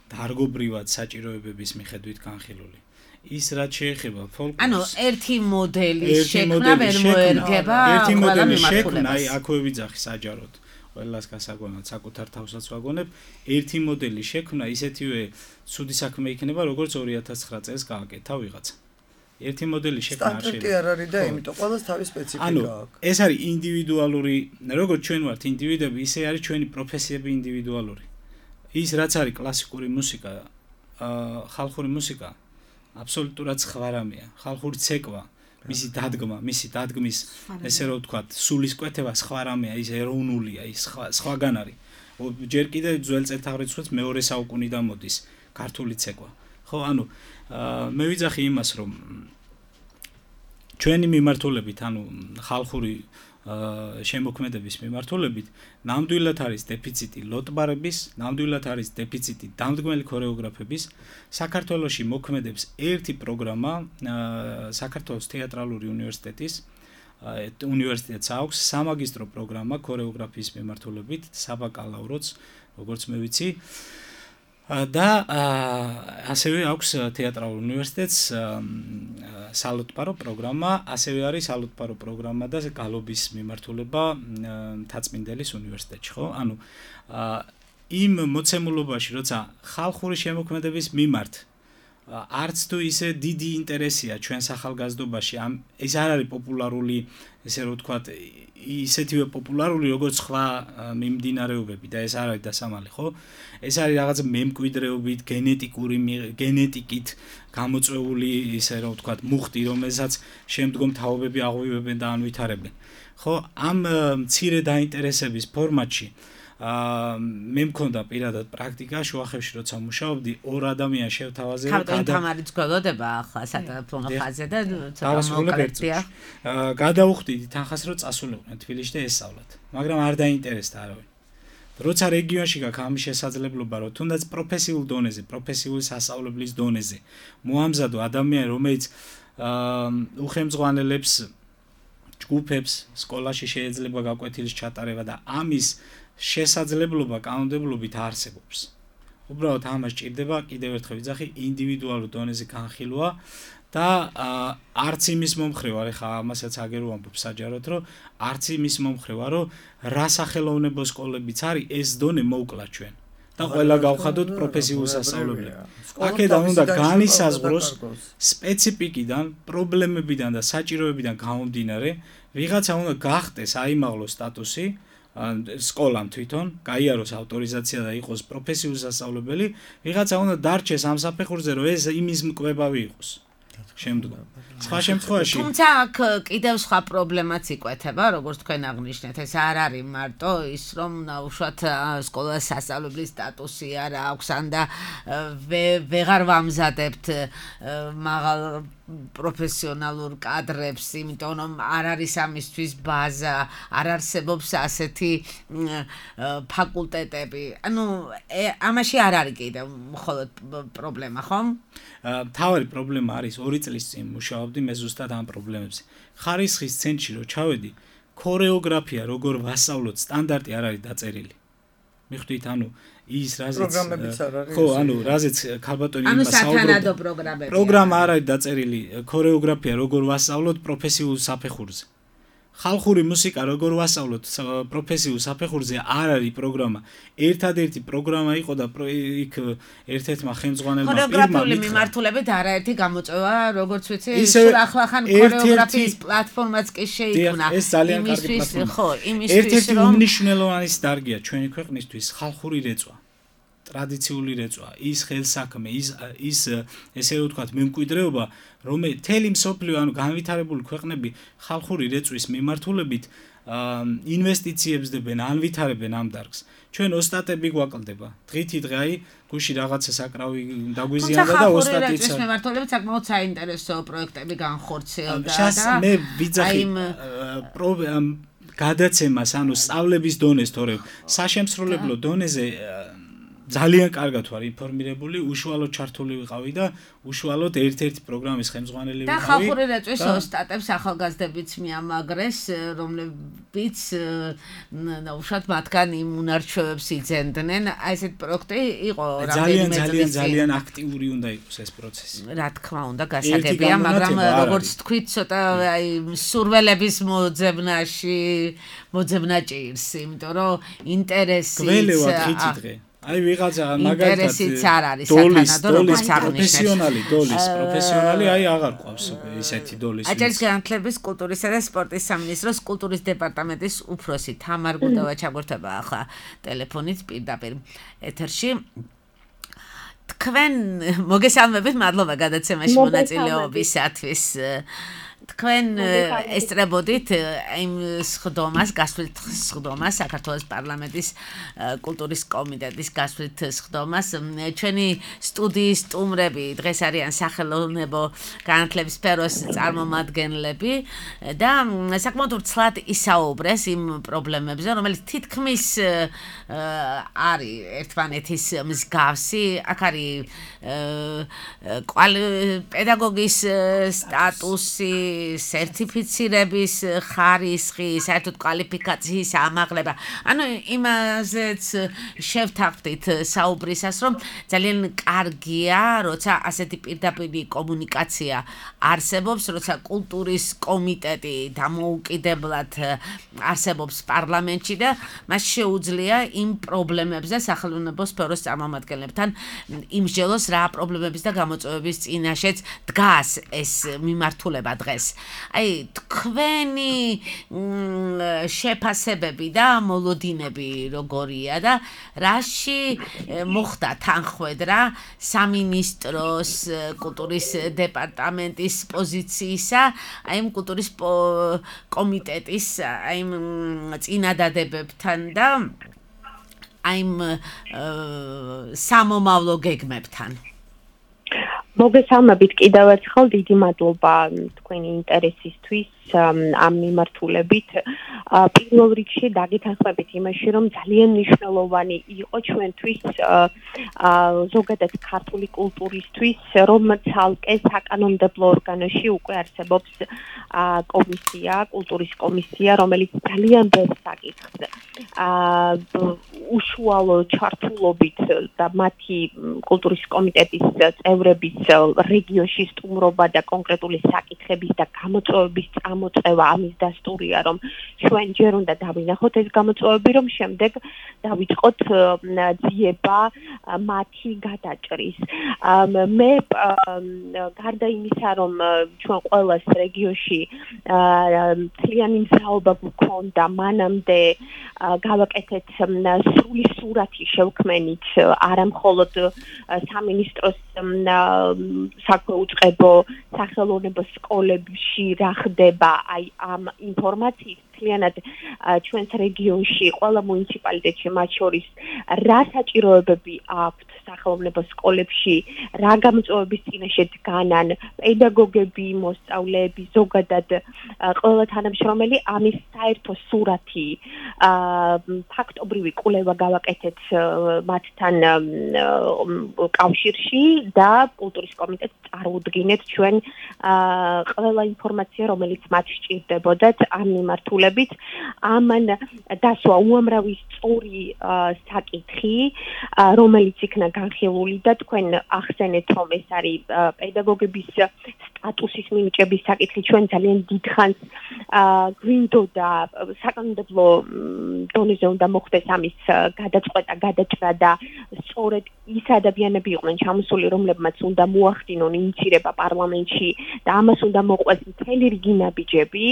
დარგობრივად საჭიროებების მიხედვით განხილული. ის რაც შეეხება ფოლკლორს. ანუ ერთი მოდელის შექმნა ვერ მოერგება ერთი მოდელის შექმნა, აი აქვე ვიძახი საჯაროდ. ყველას გასაგონად საკუთარ თავსაც ვაგონებ. ერთი მოდელის შექმნა ისეთივე ცუდი საქმე იქნება, როგორც ორი ათას ცხრა წელს გააკეთა ვიღაცა. ერთი მოდელის შექმნა არ შეიძლება. სტანდარტი არ არის და იმიტომ ყველას თავის სპეციფიკა აქვს. ეს არის ინდივიდუალური, როგორც ჩვენ ვართ ინდივიდები, ისე არის ჩვენი პროფესიები ინდივიდუალური. ის რაც არის კლასიკური მუსიკა, ხალხური მუსიკა, აბსოლუტურად სხვა რამეა. ხალხური ცეკვა, მისი დადგმა, მისი დადგმის, ესე რომ ვთქვათ, სულისკვეთება სხვა რამეა, ის ეროვნულია, ის სხვა სხვაგან არის. ჯერ კიდევ ძველ წელთაღრიცხვით მეორე საუკუნიდან მოდის ქართული ცეკვა. ხო, ანუ მე ვიძახი იმას, რომ ჩვენი მიმართულებით, ანუ ხალხური შემოქმედების მიმართულებით, ნამდვილად არის დეფიციტი ლოტბარების, ნამდვილად არის დეფიციტი დამდგმელი ქორეოგრაფების. საქართველოში მოქმედებს ერთი პროგრამა, საქართველოს თეატრალური უნივერსიტეტის უნივერსიტეტს აქვს სამაგისტრო პროგრამა ქორეოგრაფიის მიმართულებით, საბაკალავროც, როგორც მე ვიცი. და ასევე აქვს თეატრალურ უნივერსიტეტს სალუტპარო პროგრამა, ასევე არის სალუტპარო პროგრამა და გალობის მიმართულება მთაწმინდელის უნივერსიტეტში, ხო? ანუ იმ მოცემულობაში, როცა ხალხური შემოქმედების მიმართ არც თუ ისე დიდი ინტერესია ჩვენ სახალგაზრდობაში, ამ ეს არ არის პოპულარული, ესე რომ ვთქვათ, ისეთივე პოპულარული, როგორც სხვა მიმდინარეობები და ეს არ არის დასამალი, ხო? ეს არის რაღაც მემკვიდრეობით, გენეტიკური გენეტიკით გამოწვეული, ისე რომ ვთქვათ, მუხტი, რომელსაც შემდგომ თაობები აღვივებენ და ანვითარებენ. ხო, ამ მცირე დაინტერესების ფორმატში აა მე მქონდა პირადად პრაქტიკა შუახევში როცა მუშაობდი ორ ადამიანს შევთავაზე და თამარიც გველოდება ახლა სატელეფონო ხაზზე და ცოტა მოკრეფია. აა გადავხვდით თანხას რომ წასულიყვნენ თბილისში და ესწავლათ, მაგრამ არ დაინტერესდა არავინ. როცა რეგიონში გაქვს ამის შესაძლებლობა, რომ თუნდაც პროფესიულ დონეზე, პროფესიული სასწავლებლის დონეზე მოამზადო ადამიანი, რომელიც აა უხელმძღვანელებს ჯგუფებს სკოლაში შეიძლება გაკვეთილის ჩატარება და ამის შესაძლებლობა კანონმდებლობით არსებობს. უბრალოდ ამას ჭირდება კიდევ ერთხელ ვიძახი ინდივიდუალურ დონეზე განხილვა და არც იმის მომხრე ვარ, ეხლა ამასაც აგერ ვამბობ საჯაროდ, რომ არც იმის მომხრე ვარ, რომ რა სახელოვნებო სკოლებიც არის, ეს დონე მოვკლა ჩვენ. და ყველა გავხადოთ პროფესიულ სასწავლებლებს. აქედან უნდა განისაზღვროს სპეციფიკიდან, პრობლემებიდან და საჭიროებიდან გამომდინარე, ვიღაცა უნდა გახდეს აიმაღლოს სტატუსი სკოლამ თვითონ, გაიაროს ავტორიზაცია და იყოს პროფესიული სასწავლებელი, ვიღაცა უნდა დარჩეს ამ საფეხურზე, რომ ეს იმის მკვლევარი იყოს. შემდგომ. სხვა შემთხვევაში თუმცა აქ კიდევ სხვა პრობლემაც იკვეთება, როგორც თქვენ აღნიშნეთ, ეს არ არის მარტო ის, რომ უშუალოდ სკოლას სასწავლებლის სტატუსი არ აქვს ან და ვეღარ ვამზადებთ მაღალ პროფესიონალურ კადრებს, იმიტომ რომ არ არის ამისთვის ბაზა, არ არსებობს ასეთი ფაკულტეტები. ანუ ამაში არ არის კიდევ მხოლოდ პრობლემა, ხომ? თავარი პრობლემა არის ორი წლის წინ მუშაობდი მე ზუსტად ამ პრობლემებზე. ხარისხის ცენტრში რო ჩავედი, ქორეოგრაფია როგორ ვასწავლოთ, სტანდარტი არ არის დაწერილი. მიხვდით, ანუ ის რაზეც პროგრამებიც არ არის. ხო, ანუ რაზეც ქალბატონი ანუ იმას საუბრობდა. სათანადო პროგრამები. პროგრამა არ არის დაწერილი, ქორეოგრაფია როგორ ვასწავლოთ პროფესიულ საფეხურზე. ხალხური მუსიკა როგორ ვასწავლოთ პროფესიულ საფეხურზე არ არის პროგრამა. ერთადერთი პროგრამა იყო და იქ ერთ-ერთმა ხელმძღვანელმა პირმა ქორეოგრაფიული მიმართულებით არაერთი გამოწვევა, როგორც ვიცი, სულ ახლახან ქორეოგრაფიის პლატფორმაც კი შეიქმნა. ეს ძალიან კარგი პლატფორმა. ხო, იმისთვის ერთ-ერთი რომ უმნიშვნელოვანესი დარგია ჩვენი ქვეყნისთვის ხალხური რეწვა. ტრადიციული რეწვა, ის ხელსაქმე, ის ის ესე ვთქვათ, მემკვიდრეობა, რომელიც თელი მსოფლიო, ანუ განვითარებული ქვეყნები ხალხური რეწვის მიმართულებით ინვესტიციებს დებენ, ანვითარებენ ამ დარგს. ჩვენ ოსტატები გვაკლდება. დღითი დღე აი გუში რაღაცა საკრავი დაგვიზიანდა და ოსტატიც. ეს მიმართულებით საკმაოდ საინტერესო პროექტები განხორციელდა და მე ვიძახი გადაცემას, ანუ სწავლების დონეს, თორემ საშემსრულებლო დონეზე ძალიან კარგად ვარ ინფორმირებული, უშუალოდ ჩართული ვიყავი და უშუალოდ ერთ-ერთი პროგრამის ხელმძღვანელი ვიყავი. და ხალხური რეწვის ოსტატებს ახალგაზრდებიც მიამაგრეს, რომლებიც უშუალოდ მათგან იმ უნარჩვევებს იძენდნენ. აი ესეთ პროექტი იყო ძალიან ძალიან ძალიან აქტიური უნდა იყოს ეს პროცესი. რა თქმა უნდა, გასაგებია, მაგრამ როგორც თქვით, ცოტა აი სურველების მოძებნაში მოძებნა ჭირს, იმიტომ რომ ინტერესიც გველევა დღითი დღე. აი ვიღაცა მაგალითად ინტერესიც არ არის სათანადო როგორც აღნიშნეთ. პროფესიონალი დოლის, პროფესიონალი აი აღარ ყავს ესეთი დოლის. აჭარის განათლების, კულტურისა და სპორტის სამინისტროს კულტურის დეპარტამენტის უფროსი თამარ გუდავა ჩაგორთება ახლა ტელეფონით პირდაპირ ეთერში. თქვენ მოგესალმებით, მადლობა გადაცემაში მონაწილეობისათვის. თქვენ ესწრებოდით იმ სხდომას, გასვლით სხდომას, საქართველოს პარლამენტის კულტურის კომიტეტის გასვლით სხდომას. ჩვენი სტუდიის სტუმრები დღეს არიან სახელოვნებო განათლების სფეროს წარმომადგენლები და საკმაოდ ვრცლად ისაუბრეს იმ პრობლემებზე, რომელიც თითქმის არის ერთმანეთის მსგავსი. აქ არის პედაგოგის სტატუსი, სერტიფიცირების ხარისხი, საერთოდ კვალიფიკაციის ამაღლება. ანუ იმაზეც შევთანხმდით საუბრისას, რომ ძალიან კარგია, როცა ასეთი პირდაპირი კომუნიკაცია არსებობს, როცა კულტურის კომიტეტი დამოუკიდებლად არსებობს პარლამენტში და მას შეუძლია იმ პრობლემებზე სახელმწიფო სფეროს წარმომადგენლებთან იმსჯელოს, რა პრობლემების და გამოწვევების წინაშეც დგას ეს მიმართულება დღეს. აი თქვენი შეფასებები და მოლოდინები როგორია და რაში მოხდა თანხმედრა სამინისტროს კულტურის დეპარტამენტის პოზიციისა, აი იმ კულტურის კომიტეტის აი იმ წინადადებებთან და აი იმ სამომავლო გეგმებთან. მოგესალმებით კიდევ ერთხელ, დიდი მადლობა თქვენი ინტერესისთვის ამ მიმართულებით. პირველ რიგში დაგეთანხმებით იმაში, რომ ძალიან მნიშვნელოვანი იყო ჩვენთვის ზოგადად ქართული კულტურისთვის, რომ ცალკე საკანონმდებლო ორგანოში უკვე არსებობს კომისია, კულტურის კომისია, რომელიც ძალიან ბევრ საკითხს უშუალო ჩართულობით და მათი კულტურის კომიტეტის წევრების რეგიონში სტუმრობა და კონკრეტული საკითხების და გამოწვევების გამოწვევა ამის დასტურია, რომ ჩვენ ჯერ უნდა დავინახოთ ეს გამოწვევები, რომ შემდეგ დავიწყოთ ძიება მათი გადაჭრის. მე გარდა იმისა, რომ ჩვენ ყოველას რეგიონში მთლიანი მზაობა გვქონდა, მანამდე გავაკეთეთ სრული სურათი შევქმენით არა მხოლოდ სამინისტროს საქმე უწყებო სახელოვნებო სკოლებში რა ხდება აი ამ ინფორმაციის მთლიანად ჩვენს რეგიონში ყველა მუნიციპალიტეტში მათ შორის რა საჭიროებები აქვთ სახელოვნებო სკოლებში, რა გამოწვევების წინაშე დგანან პედაგოგები, მოსწავლეები, ზოგადად ყველა თანამშრომელი ამის საერთო სურათი ფაქტობრივი კვლევა გავაკეთეთ მათთან კავშირში და კულტურის კომიტეტს წარუდგინეთ ჩვენ ყველა ინფორმაცია, რომელიც მათ სჭირდებოდათ ამ მიმართულებით. ამან დასვა უამრავი სწორი საკითხი, რომელიც იქნა განხილული და თქვენ ახსენეთ, რომ ეს არის პედაგოგების სტატუსის მინიჭების საკითხი ჩვენ ძალიან დიდხანს გვინდოდა საკანონმდებლო დონეზე უნდა მოხდეს ამის გადაწყვეტა, გადაჭრა და სწორედ ის ადამიანები იყვნენ ჩამოსული, რომლებმაც უნდა მოახდინონ ინიცირება პარლამენტში და ამას უნდა მოყვეს მთელი რიგი ნაბიჯები,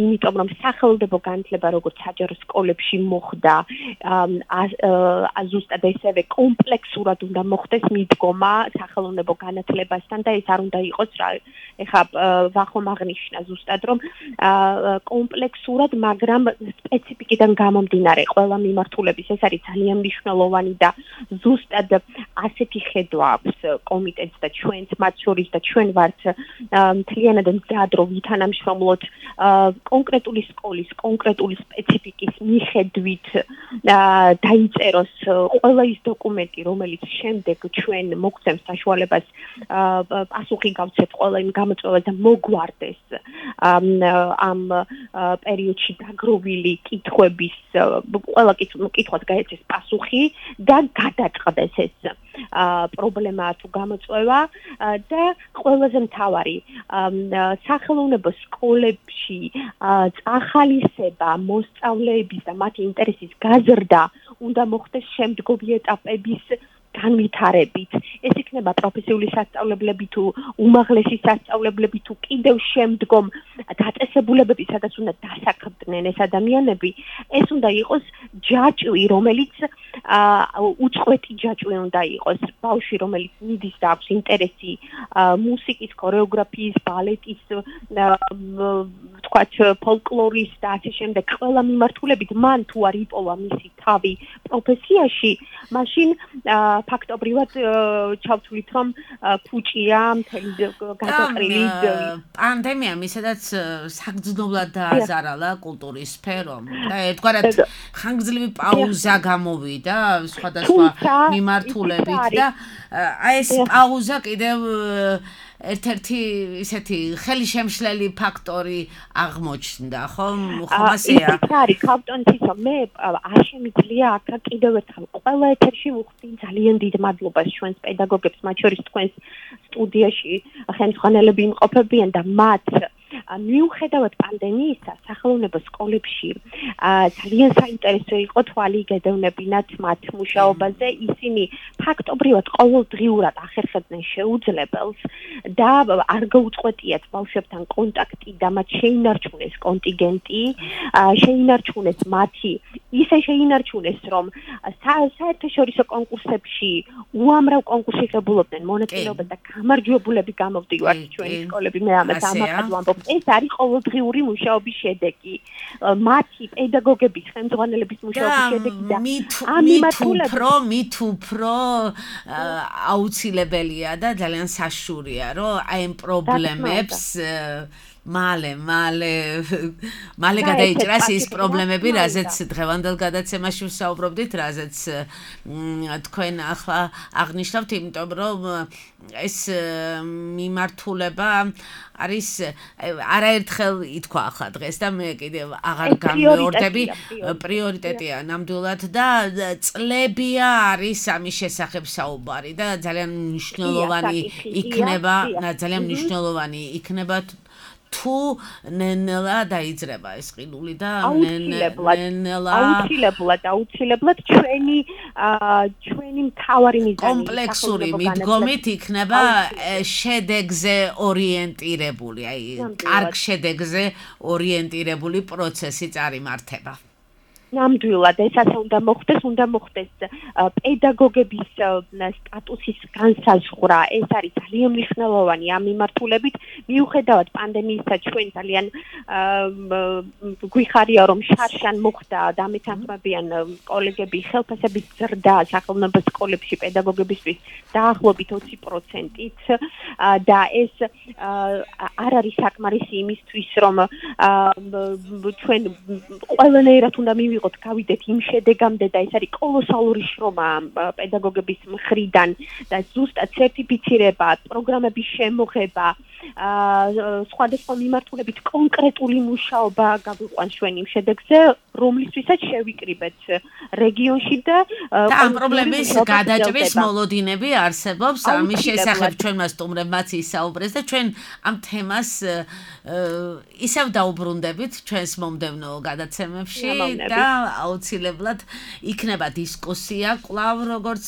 იმიტომ რომ სახელმწიფო განათლება როგორც საჯარო სკოლებში მოხდა, ზუსტად ესევე კომპლექსურად უნდა მოხდეს მიდგომა სახელმწიფო განათლებასთან და ეს არ უნდა იყოს რა ეხა ვახომ აღნიშნა ზუსტად რომ კომპლექსურად, მაგრამ სპეციფიკიდან გამომდინარე ყველა მიმართულების ეს არის ძალიან მნიშვნელოვანი და ზუსტად ასეთი ხედვა აქვს კომიტეტს და ჩვენს მათ შორის და ჩვენ ვართ მთლიანად მზად რომ ვითანამშრომლოთ კონკრეტული სკოლის, კონკრეტული სპეციფიკის მიხედვით დაიწეროს ყველა ის დოკუმენტი, რომელიც შემდეგ ჩვენ მოგცემს საშუალებას პასუხი გავცეთ ყველა იმ გამოწვევას და მოგვარდეს ამ პერიოდში დაგროვილი კითხვების ყველა კითხვას გაეცეს პასუხი და გადაწყდეს ეს პრობლემა თუ გამოწვევა და ყველაზე მთავარი სახელმწიფო სკოლებში წახალისება მოსწავლეების და მათი ინტერესის გაზრდა უნდა მოხდეს შემდგომი ეტაპების განვითარებით. ეს იქნება პროფესიული სასწავლებლები თუ უმაღლესი სასწავლებლები თუ კიდევ შემდგომ დაწესებულებები, სადაც უნდა დასაქმდნენ ეს ადამიანები, ეს უნდა იყოს ჯაჭვი, რომელიც უწყვეტი ჯაჭვი უნდა იყოს. ბავშვი, რომელიც მიდის და აქვს ინტერესი მუსიკის, ქორეოგრაფიის, ბალეტის, თქვათ ფოლკლორის და ასე შემდეგ ყველა მიმართულებით მან თუ არ იპოვა მისი თავი პროფესიაში, მაშინ ფაქტობრივად ჩავთვლით რომ ფუჭია მთელი გადაყრილი პანდემიამ ისედაც საგრძნობლად დააზარალა კულტურის სფერომ და ერთგვარად ხანგრძლივი პაუზა გამოვიდა სხვადასხვა მიმართულებით და აი ეს პაუზა კიდევ ერთ-ერთი ისეთი ხელშემშლელი ფაქტორი აღმოჩნდა, ხომ? ხომ ასეა? ის არის კავტონთისო, მე არ შემიძლია აქ კიდევ ერთხელ ყველა ეთერში ვუხდი ძალიან დიდ მადლობას ჩვენს პედაგოგებს, მათ შორის თქვენს სტუდიაში ხელმძღვანელები იმყოფებიან და მათ მიუხედავად პანდემიისა, სახელმწიფო სკოლებში ძალიან საინტერესო იყო თვალი გედევნებინათ მათ მუშაობაზე. ისინი ფაქტობრივად ყოველდღიურად ახერხებდნენ შეუძლებელს და არ გაუწყვეტიათ ბავშვებთან კონტაქტი და მათ შეინარჩუნეს კონტინგენტი, შეინარჩუნეს მათი, ისე შეინარჩუნეს, რომ საერთაშორისო კონკურსებში უამრავ კონკურსში ღებულობდნენ მონაწილეობას და გამარჯვებულები გამოვდივართ ჩვენი სკოლები, მე ამას ამაყად ვამბობ. ეს არის ყოველდღიური მუშაობის შედეგი. მათი პედაგოგების, ხელმძღვანელების მუშაობის შედეგი და ამ მიმართულებით უფრო, მით უფრო აუცილებელია და ძალიან საშურია, რომ აი ამ პრობლემებს მალე, მალე, მალე გადაიჭრას ის პრობლემები, რაზეც დღევანდელ გადაცემაში ვსაუბრობდით, რაზეც თქვენ ახლა აღნიშნავთ, იმიტომ რომ ეს მიმართულება არის არაერთხელ ითქვა ახლა დღეს და მე კიდევ აღარ გამეორდები, პრიორიტეტია ნამდვილად და წლებია არის ამის შესახებ საუბარი და ძალიან მნიშვნელოვანი იქნება, ძალიან მნიშვნელოვანი იქნება თუ ნენელა დაიძრება ეს ყინული და ნენელა აუცილებლად აუცილებლად ჩვენი ჩვენი მთავარი მიზანი კომპლექსური მიდგომით იქნება შედეგზე ორიენტირებული, აი კარგ შედეგზე ორიენტირებული პროცესი წარიმართება. ნამდვილად ეს ასე უნდა მოხდეს, უნდა მოხდეს პედაგოგების სტატუსის განსაზღვრა. ეს არის ძალიან მნიშვნელოვანი ამ მიმართულებით. მიუხედავად პანდემიისა ჩვენ ძალიან გვიხარია რომ შარშან მოხდა და მეთანხმებიან კოლეგები ხელფასების ზრდა სახელმწიფო სკოლებში პედაგოგებისთვის დაახლოებით ოცი პროცენტით და ეს არ არის საკმარისი იმისთვის რომ ჩვენ ყველანაირად უნდა მივიღოთ გავიდეთ იმ შედეგამდე და ეს არის კოლოსალური შრომა პედაგოგების მხრიდან და ზუსტად სერტიფიცირება, პროგრამების შემოღება, სხვადასხვა მიმართულებით კონკრეტული მუშაობა გავიყვანს ჩვენ იმ შედეგზე, რომლისთვისაც შევიკრიბეთ რეგიონში და და ამ პრობლემის გადაჭრის მოლოდინები არსებობს. ამის შესახებ ჩვენმა სტუმრებმაც ისაუბრეს და ჩვენ ამ თემას ისევ დაუბრუნდებით ჩვენს მომდევნო გადაცემებში და აუცილებლად იქნება დისკუსია კვლავ როგორც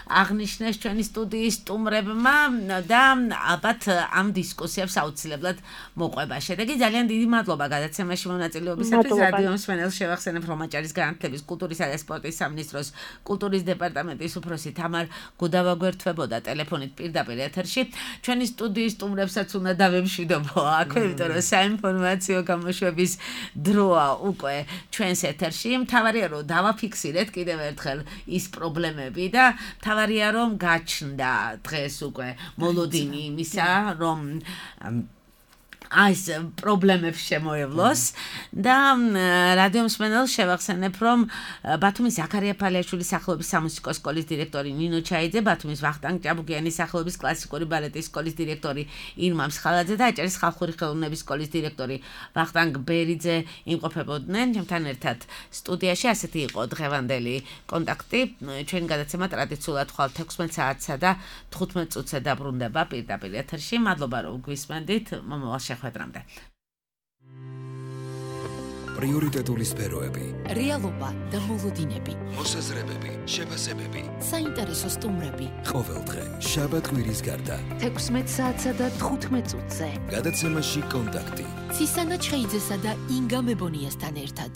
აღნიშნეს ჩვენი სტუდიის სტუმრებმა და ალბათ ამ დისკუსიებს აუცილებლად მოყვება შედეგი. ძალიან დიდი მადლობა გადაცემაში მონაწილეობისათვის. რადიო მსმენელს შევახსენებ, რომ აჭარის განათლების, კულტურისა და სპორტის სამინისტროს კულტურის დეპარტამენტის უფროსი თამარ გუდავა გვერდთვებოდა ტელეფონით პირდაპირ ეთერში. ჩვენი სტუდიის სტუმრებსაც უნდა დავემშვიდობო აქვე, იმიტომ რომ საინფორმაციო გამოშვების დროა უკვე ჩვენს ეთერში. მთავარია რომ დავაფიქსირეთ კიდევ ერთხელ ის პრობლემები და მთავარია რომ გაჩნდა დღეს უკვე მოლოდინი იმისა, რომ այս პრობლემებს შემოევლოს და რადიო მსმენელს შევახსენებ, რომ ბათუმის ზაქარია ფალიაშვილის სახელობის სამუსიკო სკოლის დირექტორი ნინო ჩაიძე, ბათუმის ვახტანგ ჭაბუკიანის სახელობის კლასიკური ბალეტის სკოლის დირექტორი ირმა მსხალაძე და აჭარის ხალხური ხელოვნების სკოლის დირექტორი ვახტანგ ბერიძე იმყოფებოდნენ ჩემთან ერთად სტუდიაში. ასეთი იყო დღევანდელი კონტაქტი. ჩვენი გადაცემა ტრადიციულად ხვალ თექვსმეტ საათსა და თხუთმეტ წუთზე დაბრუნდება პირდაპირ ეთერში. მადლობა რომ გვისმენდით. მომავალ შეხვედრამდე. პრიორიტეტული სფეროები, რეალობა და მოლოდინები, მოსაზრებები, შეფასებები, საინტერესო სტუმრები. ყოველდღე შაბათ კვირის გარდა თექვსმეტ საათსა და თხუთმეტ წუთზე. გადაცემაში კონტაქტი. ცისანა ჩხეიძესა და ინგა მებონიასთან ერთად.